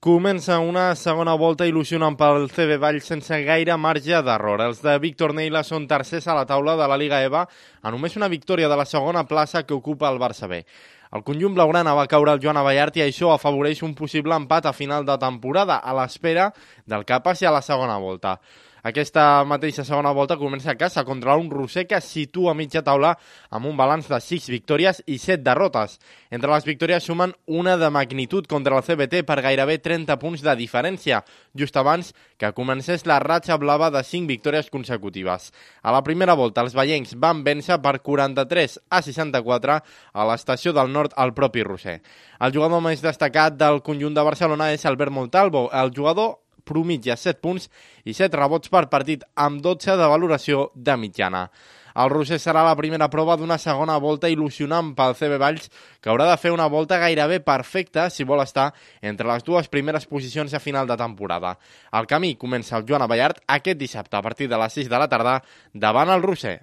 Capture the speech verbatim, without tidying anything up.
Comença una segona volta il·lusionant pel C B Valls sense gaire marge d'error. Els de Víctor Neila són tercers a la taula de la Liga EVA a només una victòria de la segona plaça que ocupa el Barça B. El conjunt blaugrana va caure al Joan Abellart i això afavoreix un possible empat a final de temporada a l'espera del que passi a la segona volta. Aquesta mateixa segona volta comença a casa contra un Roser que es situa a mitja taula amb un balanç de sis victòries i set derrotes. Entre les victòries sumen una de magnitud contra el C B T per gairebé trenta punts de diferència, just abans que comencés la ratxa blava de cinc victòries consecutives. A la primera volta els veiencs van vèncer per quaranta-tres a seixanta-quatre a l'estació del Nord al propi Roser. El jugador més destacat del conjunt de Barcelona és Albert Montalvo. El jugador promitja set punts i set rebots per partit amb dotze de valoració de mitjana. El Roser serà la primera prova d'una segona volta il·lusionant pel C B Valls, que haurà de fer una volta gairebé perfecta si vol estar entre les dues primeres posicions a final de temporada. El camí comença al Joan Abellart aquest dissabte a partir de les sis de la tarda davant el Roser.